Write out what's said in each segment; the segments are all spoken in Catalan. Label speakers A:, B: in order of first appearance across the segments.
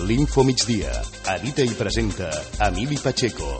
A: L'Info Migdia. Edita i presenta Emili Pacheco.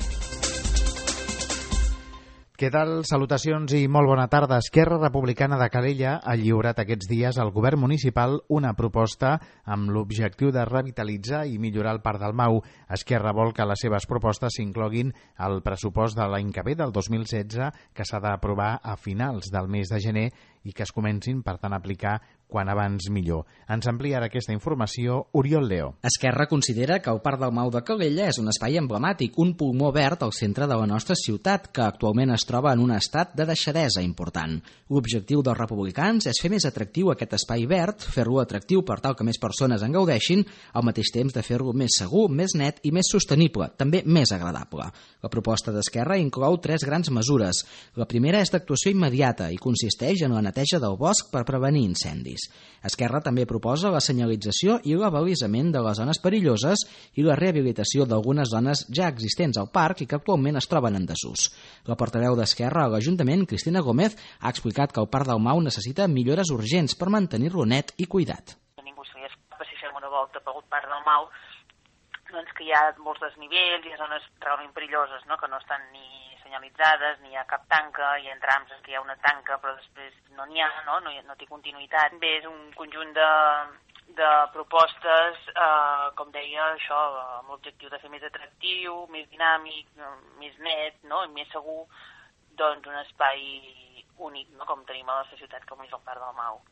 B: Què tal? Salutacions i molt bona tarda. Esquerra Republicana de Calella ha lliurat aquests dies al govern municipal una proposta amb l'objectiu de revitalitzar i millorar el Parc del Mau. Esquerra vol que les seves propostes s'incloguin al pressupost de l'any que ve, del 2016, que s'ha d'aprovar a finals del mes de gener i que es comencin, per tant, a aplicar quan abans millor. Ens amplia ara aquesta informació Oriol Leo.
C: Esquerra considera que el Parc del Mau de Calella és un espai emblemàtic, un pulmó verd al centre de la nostra ciutat, que actualment es troba en un estat de deixadesa important. L'objectiu dels republicans és fer més atractiu aquest espai verd, fer-lo atractiu per tal que més persones en gaudeixin, al mateix temps de fer-lo més segur, més net i més sostenible, també més agradable. La proposta d'Esquerra inclou 3 grans mesures. La primera és d'actuació immediata i consisteix en la neteja del bosc per prevenir incendis. Esquerra també proposa la senyalització i l'abalisament de les zones perilloses i la rehabilitació d'algunes zones ja existents al parc i que actualment es troben en desús. La portaveu d'Esquerra a l'Ajuntament, Cristina Gómez, ha explicat que el Parc del Mau necessita millores urgents per mantenir-lo net i cuidat.
D: Ningú se li escapa si fem una volta pel Parc del Mau, doncs que hi ha molts desnivells, hi ha zones realment perilloses, no? Que no estan ni senyalitzades, ni hi ha cap tanca, hi ha trams en què hi ha una tanca però després no n'hi ha, no té continuïtat. Bé, és un conjunt de propostes, com deia, això, amb l'objectiu de fer més atractiu, més dinàmic, més net, no? I més segur, doncs un espai únic, no? Com tenim a la nostra ciutat, com és el Parc del Mau.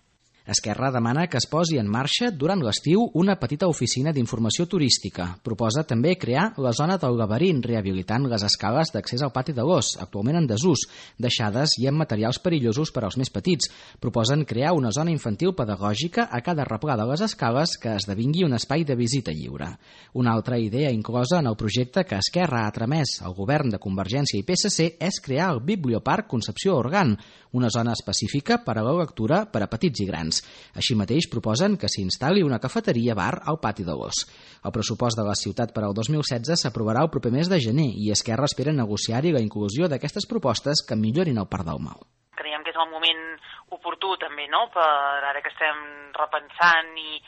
C: Esquerra demana que es posi en marxa durant l'estiu una petita oficina d'informació turística. Proposa també crear la zona del laberint, rehabilitant les escales d'accés al pati de l'Os, actualment en desús, deixades i amb materials perillosos per als més petits. Proposen crear una zona infantil pedagògica a cada replà de les escales que esdevingui un espai de visita lliure. Una altra idea inclosa en el projecte que Esquerra ha tramès al govern de Convergència i PSC és crear el Biblioparc Concepció Organ, una zona específica per a la lectura per a petits i grans. Així mateix proposen que s'instal·li una cafeteria-bar al pati de l'Os. El pressupost de la ciutat per al 2016 s'aprovarà el proper mes de gener i Esquerra espera negociar-hi la inclusió d'aquestes propostes que millorin el Parc del Mau.
D: Creiem que és el moment oportú també, no?, per ara que estem repensant i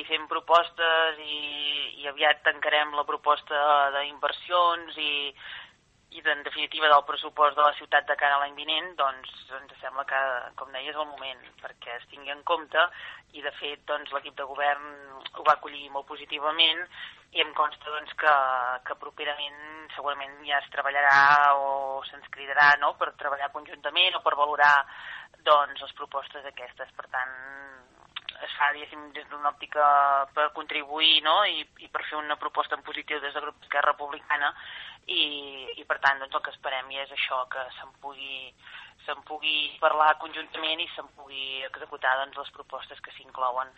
D: fent propostes i aviat tancarem la proposta d'inversions i en definitiva del pressupost de la ciutat de cara a l'any vinent, doncs ens sembla que, com deia, és el moment perquè es tingui en compte i de fet doncs, l'equip de govern ho va acollir molt positivament i em consta doncs, que properament segurament ja es treballarà o se'ns cridarà, no?, per treballar conjuntament o per valorar doncs, les propostes aquestes. Per tant, es fa, diguéssim, des d'una òptica per contribuir, no?, i per fer una proposta en positiu des del grup d'Esquerra Republicana i per tant doncs, el que esperem és això, que se'n pugui parlar conjuntament i se'n pugui executar doncs, les propostes que s'inclouen.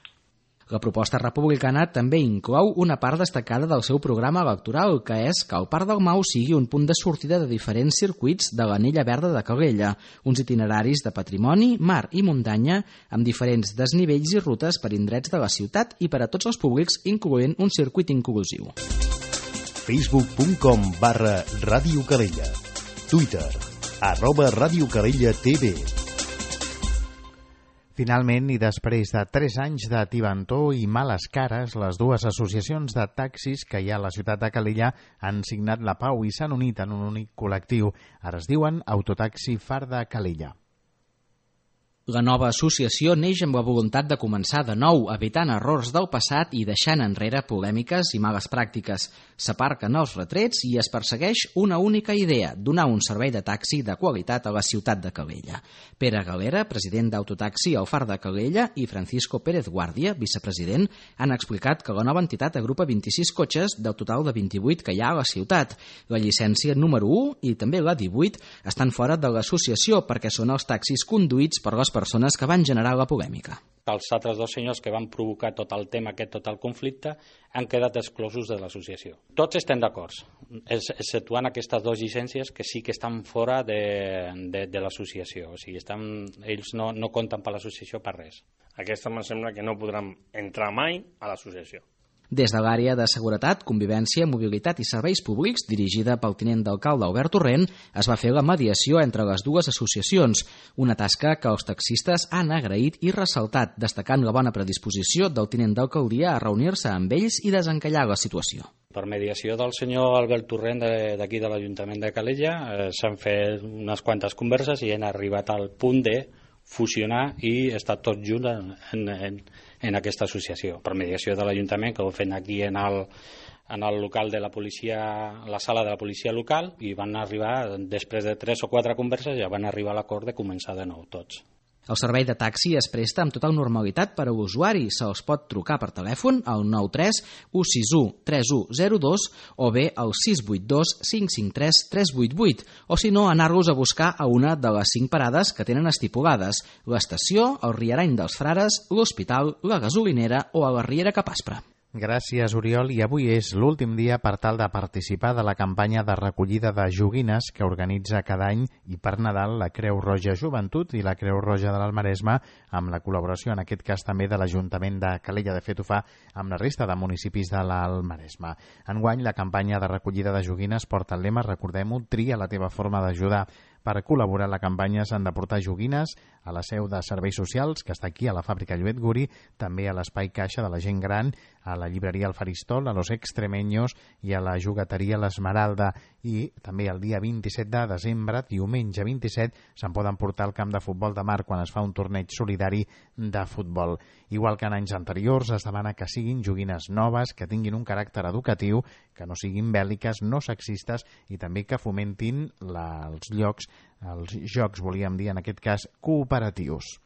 C: La proposta republicana també inclou una part destacada del seu programa electoral, que és que el Parc del Mau sigui un punt de sortida de diferents circuits de l'Anella Verda de Calella, uns itineraris de patrimoni, mar i muntanya, amb diferents desnivells i rutes per indrets de la ciutat i per a tots els públics, incloent un circuit inclusiu.
A: Facebook.com/Ràdio Calella. Twitter @RadioCalellaTV.
B: Finalment, i després de 3 anys de tibantor i males cares, les dues associacions de taxis que hi ha a la ciutat de Calella han signat la pau i s'han unit en un únic col·lectiu. Ara es diuen Autotaxi Far de Calella.
C: La nova associació neix amb la voluntat de començar de nou, evitant errors del passat i deixant enrere polèmiques i males pràctiques. S'aparquen els retrets i es persegueix una única idea, donar un servei de taxi de qualitat a la ciutat de Calella. Pere Galera, president d'Autotaxi al Far de Calella, i Francisco Pérez Guàrdia, vicepresident, han explicat que la nova entitat agrupa 26 cotxes del total de 28 que hi ha a la ciutat. La llicència número 1 i també la 18 estan fora de l'associació perquè són els taxis conduïts per les persones que van generar la polèmica.
E: Els altres 2 senyors que van provocar tot el tema, tot el conflicte, han quedat exclosos de l'associació. Tots estem d'acord, exceptuant aquestes 2 llicències que sí que estan fora de l'associació. O sigui, ells no compten per l'associació per res.
F: Aquesta em sembla que no podran entrar mai a l'associació.
C: Des de l'àrea de Seguretat, Convivència, Mobilitat i Serveis Públics, dirigida pel tinent d'alcalde Albert Torrent, es va fer la mediació entre les dues associacions, una tasca que els taxistes han agraït i ressaltat, destacant la bona predisposició del tinent d'alcaldia a reunir-se amb ells i desencallar la situació.
E: Per mediació del senyor Albert Torrent d'aquí de l'Ajuntament de Calella s'han fet unes quantes converses i han arribat al punt de fusionar i estar tots junts en aquesta associació. Per mediació de l'Ajuntament, que ho fem aquí en el local de la policia, la sala de la policia local, i van arribar, després de 3 o 4 converses, ja van arribar a l'acord de començar de nou tots.
C: El servei de taxi es presta amb total normalitat per a l'usuari. Se'ls pot trucar per telèfon al 93 161 3102 o bé al 682 553 388 o si no anar-los a buscar a una de les 5 parades que tenen estipulades: l'estació, el Riarany dels Frares, l'Hospital, la Gasolinera o a la Riera Capaspre.
B: Gràcies, Oriol. I avui és l'últim dia per tal de participar de la campanya de recollida de joguines que organitza cada any i per Nadal la Creu Roja Joventut i la Creu Roja de l'Almaresme, amb la col·laboració, en aquest cas també, de l'Ajuntament de Calella. De fet, ho fa amb la resta de municipis de l'Almaresme. Enguany, la campanya de recollida de joguines porta el lema, recordem-ho, tria la teva forma d'ajudar. Per col·laborar en la campanya s'han de portar joguines a la seu de Serveis Socials, que està aquí a la fàbrica Lluet Guri, també a l'Espai Caixa de la Gent Gran, a la llibreria El Faristol, a Los Extremeños i a la jugueteria L'Esmeralda. I també el dia 27 de desembre, diumenge 27, se'n poden portar al camp de futbol de Mar quan es fa un torneig solidari de futbol. Igual que en anys anteriors, es demana que siguin joguines noves, que tinguin un caràcter educatiu, que no siguin bèl·liques, no sexistes i també que fomentin els jocs, volíem dir, en aquest cas, cooperatius.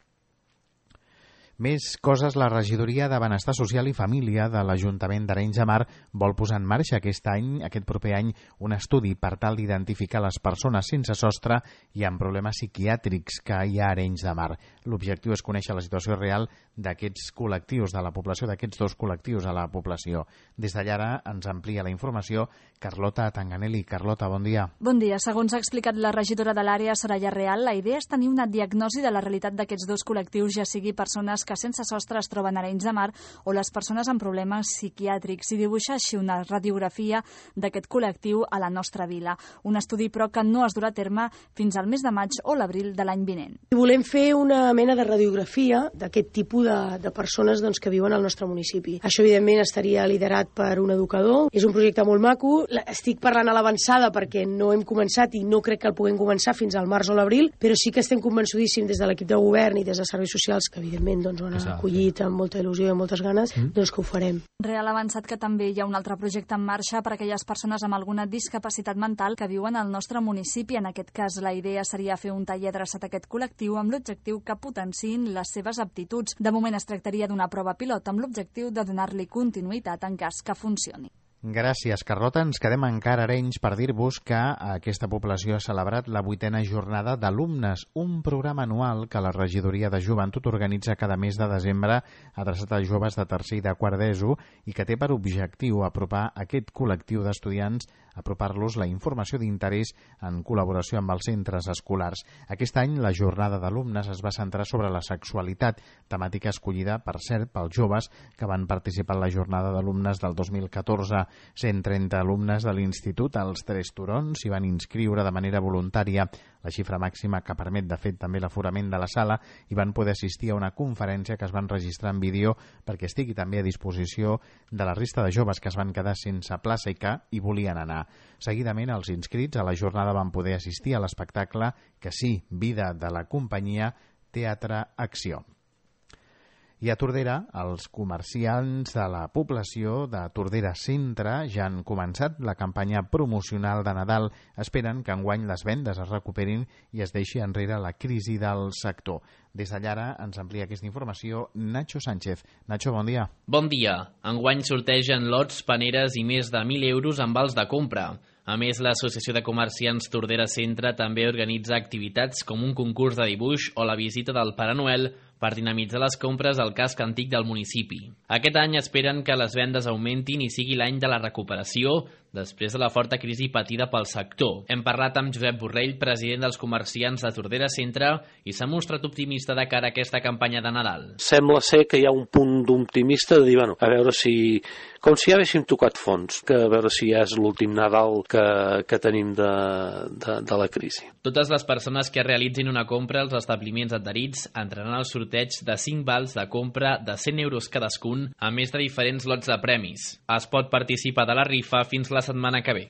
B: Més coses, la regidoria de Benestar Social i Família de l'Ajuntament d'Arenys de Mar vol posar en marxa aquest proper any, un estudi per tal d'identificar les persones sense sostre i amb problemes psiquiàtrics que hi ha a Arenys de Mar. L'objectiu és conèixer la situació real d'aquests col·lectius, de la població, d'aquests dos col·lectius a la població. Des d'allà ara ens amplia la informació Carlota Tanganelli. Carlota, bon dia.
F: Bon dia. Segons ha explicat la regidora de l'àrea, Soraya Real, la idea és tenir una diagnosi de la realitat d'aquests dos col·lectius, ja sigui persones que sense sostre es troben a Arenys de Mar o les persones amb problemes psiquiàtrics, i dibuixar així una radiografia d'aquest col·lectiu a la nostra vila. Un estudi, però, que no es durà a terme fins al mes de maig o l'abril de l'any vinent.
G: Volem fer una mena de radiografia d'aquest tipus de persones que viuen al nostre municipi. Això, evidentment, estaria liderat per un educador. És un projecte molt maco. Estic parlant a l'avançada perquè no hem començat i no crec que el puguem començar fins al març o l'abril, però sí que estem convençudíssims des de l'equip de govern i des de serveis socials, que evidentment ho han acollit amb molta il·lusió i amb moltes ganes, que ho farem.
F: Real ha avançat que també hi ha un altre projecte en marxa per a aquelles persones amb alguna discapacitat mental que viuen al nostre municipi. En aquest cas, la idea seria fer un taller adreçat a aquest col·lectiu amb l'objectiu que potenciïn les seves aptituds. De moment es tractaria d'una prova pilot amb l'objectiu de donar-li continuïtat en cas que funcioni.
B: Gràcies, Carlota. Ens quedem encara a Arenys per dir-vos que aquesta població ha celebrat la 8a jornada d'alumnes, un programa anual que la regidoria de joventut organitza cada mes de desembre adreçat a joves de tercer i de quart d'ESO i que té per objectiu apropar aquest col·lectiu d'estudiants, apropar-los la informació d'interès en col·laboració amb els centres escolars. Aquest any la jornada d'alumnes es va centrar sobre la sexualitat, temàtica escollida, per cert, pels joves que van participar en la jornada d'alumnes del 2014. 130 alumnes de l'Institut als Tres Turons s'hi van inscriure de manera voluntària, la xifra màxima que permet, de fet, també l'aforament de la sala, i van poder assistir a una conferència que es van registrar en vídeo perquè estigui també a disposició de la resta de joves que es van quedar sense plaça i que hi volien anar. Seguidament, els inscrits a la jornada van poder assistir a l'espectacle Que sí, vida, de la companyia Teatre Acció. I a Tordera, els comerciants de la població de Tordera Centre ja han començat la campanya promocional de Nadal. Esperen que enguany les vendes es recuperin i es deixi enrere la crisi del sector. Des d'allà ara ens amplia aquesta informació Nacho Sánchez. Nacho, bon dia.
H: Bon dia. Enguany sortegen lots, paneres i més de 1.000 euros en vals de compra. A més, l'Associació de Comerciants Tordera Centre també organitza activitats com un concurs de dibuix o la visita del Pare Noel per dinamitzar les compres al casc antic del municipi. Aquest any esperen que les vendes augmentin i sigui l'any de la recuperació, després de la forta crisi patida pel sector. Hem parlat amb Josep Borrell, president dels comerciants de Tordera Centre, i s'ha mostrat optimista de cara a aquesta campanya de Nadal.
I: Sembla ser que hi ha un punt d'optimista de dir, bueno, a veure si... Com si ja haguéssim tocat fons, que a veure si ja és l'últim Nadal que tenim de la crisi.
H: Totes les persones que realitzin una compra als establiments adherits entraran al sorteig de 5 vals de compra de 100 euros cadascun, a més de diferents lots de premis. Es pot participar de la rifa fins la setmana que ve.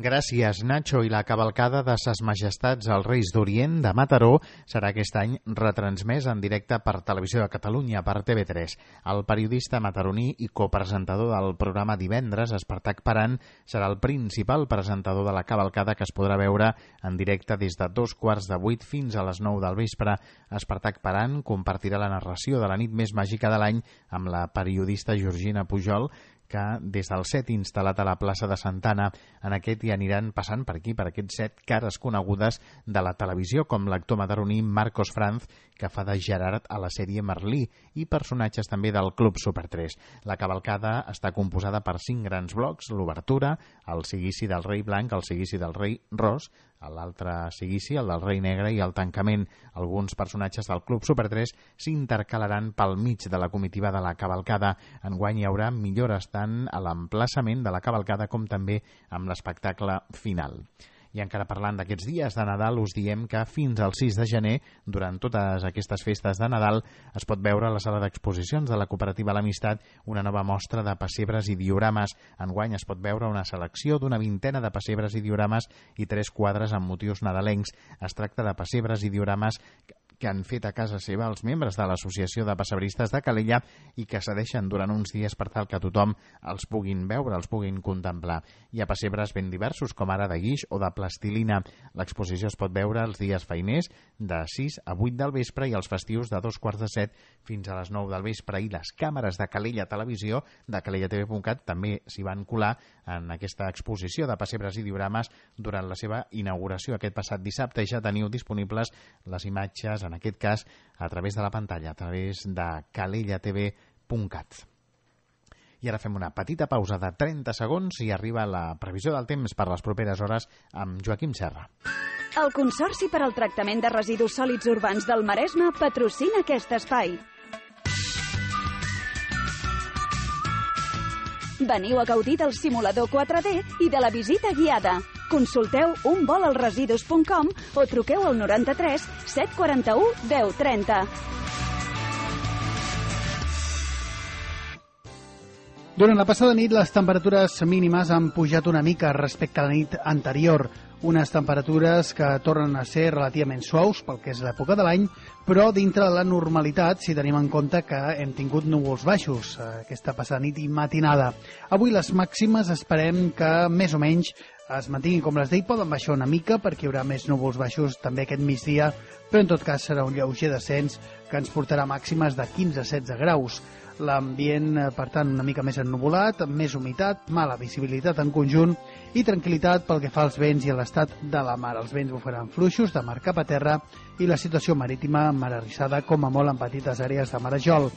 B: Gràcies, Nacho. I la cavalcada de Ses Majestats als Reis d'Orient de Mataró serà aquest any retransmès en directe per Televisió de Catalunya, per TV3. El periodista mataroní i copresentador del programa Divendres, Espartac Paran, serà el principal presentador de la cavalcada, que es podrà veure en directe des de 7:15 fins a les 9 del vespre. Espartac Paran compartirà la narració de la nit més màgica de l'any amb la periodista Georgina Pujol, que des del set instal·lat a la plaça de Santana, en aquest hi aniran passant per aquí, per aquests 7 cares conegudes de la televisió, com l'actor mataroní Marcos Franz, que fa de Gerard a la sèrie Merlí, i personatges també del Club Super 3. La cavalcada està composada per 5 grans blocs: l'obertura, el seguici del rei blanc, el seguici del rei ros, l'altre seguici, el del rei negre, i el tancament. Alguns personatges del Club Super 3 s'intercalaran pel mig de la comitiva de la cavalcada. Enguany hi haurà millores tant a l'emplaçament de la cavalcada com també amb l'espectacle final. I encara parlant d'aquests dies de Nadal, us diem que fins al 6 de gener, durant totes aquestes festes de Nadal, es pot veure a la sala d'exposicions de la cooperativa L'Amistat una nova mostra de pessebres i diorames. Enguany es pot veure una selecció d'una vintena de pessebres i diorames i 3 quadres amb motius nadalencs. Es tracta de pessebres i diorames que han fet a casa seva els membres de l'Associació de Pessebristes de Calella i que cedeixen durant uns dies per tal que tothom els puguin veure, els puguin contemplar. Hi ha pessebres ben diversos, com ara de guix o de plastilina. L'exposició es pot veure els dies feiners de 6 a 8 del vespre i els festius de 7:15 fins a les 9 del vespre. I les càmeres de Calella Televisió, de calellatv.cat, també s'hi van colar en aquesta exposició de pessebres i diorames durant la seva inauguració aquest passat dissabte, i ja teniu disponibles les imatges, en aquest cas a través de la pantalla, a través de calellatv.cat. I ara fem una petita pausa de 30 segons i arriba la previsió del temps per les properes hores amb Joaquim Serra.
J: El Consorci per al Tractament de Residus Sòlids Urbans del Maresme patrocina aquest espai. Veniu a gaudir del simulador 4D i de la visita guiada. Consulteu unvolalresidus.com o truqueu al 93 741 1030.
K: Durant la passada nit, les temperatures mínimes han pujat una mica respecte a la nit anterior. Unes temperatures que tornen a ser relativament suaus pel que és l'època de l'any, però dintre de la normalitat, si tenim en compte que hem tingut núvols baixos aquesta passada nit i matinada. Avui les màximes esperem que més o menys es mantinguin com les d'ahir, poden baixar una mica perquè hi haurà més núvols baixos també aquest migdia, però en tot cas serà un lleuger descens que ens portarà màximes de 15 a 16 graus. L'ambient, per tant, una mica més ennuvolat, amb més humitat, mala visibilitat en conjunt i tranquil·litat pel que fa als vents i a l'estat de la mar. Els vents bufaran fluixos de mar cap a terra i la situació marítima mar arrissada, com a molt en petites àrees de marejol.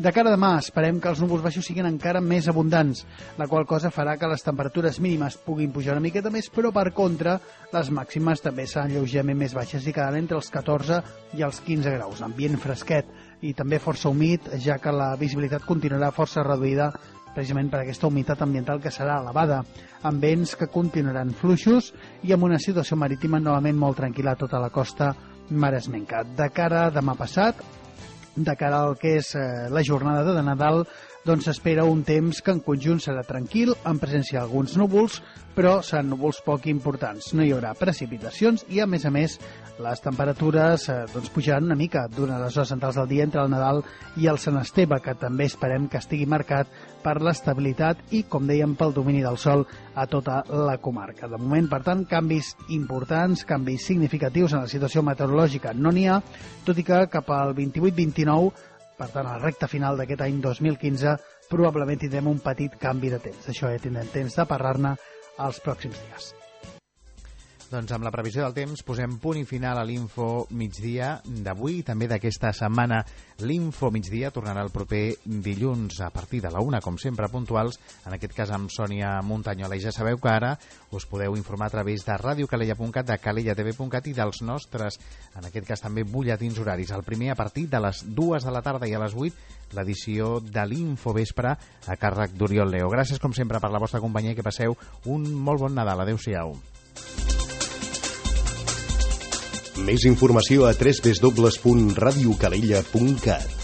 K: De cara a demà, esperem que els núvols baixos siguin encara més abundants, la qual cosa farà que les temperatures mínimes puguin pujar una miqueta més, però per contra, les màximes també seran lleugerament més baixes i quedaran entre els 14 i els 15 graus. Ambient fresquet i també força humit, ja que la visibilitat continuarà força reduïda precisament per aquesta humitat ambiental que serà elevada, amb vents que continuaran fluixos i amb una situació marítima novament molt tranquil·la a tota la costa maresmenca. De cara a demà passat, de cara al que és la jornada de Nadal, doncs s'espera un temps que en conjunt serà tranquil, en presència d'alguns núvols, però seran núvols poc importants. No hi haurà precipitacions i, a més, les temperatures pujaran una mica durant les hores centrals del dia entre el Nadal i el Sant Esteve, que també esperem que estigui marcat per l'estabilitat i, com dèiem, pel domini del sol a tota la comarca. De moment, per tant, canvis importants, canvis significatius en la situació meteorològica no n'hi ha, tot i que cap al 28-29, per tant, a la recta final d'aquest any 2015, probablement tindrem un petit canvi de temps. D'això ja tindrem temps de parlar-ne els pròxims dies.
B: Doncs amb la previsió del temps posem punt i final a l'Info Migdia d'avui i també d'aquesta setmana. L'Info Migdia tornarà el proper dilluns a partir de la 1, com sempre, puntuals, en aquest cas amb Sònia Montanyola. I ja sabeu que ara us podeu informar a través de radiocalella.cat, de calellatv.cat i dels nostres, en aquest cas també, butlletins horaris. El primer a partir de les 2 de la tarda i a les 8, l'edició de l'Info Vespre a càrrec d'Oriol Leo. Gràcies, com sempre, per la vostra companyia i que passeu un molt bon Nadal. Adéu-siau.
A: Més informació a www.radiocalella.cat.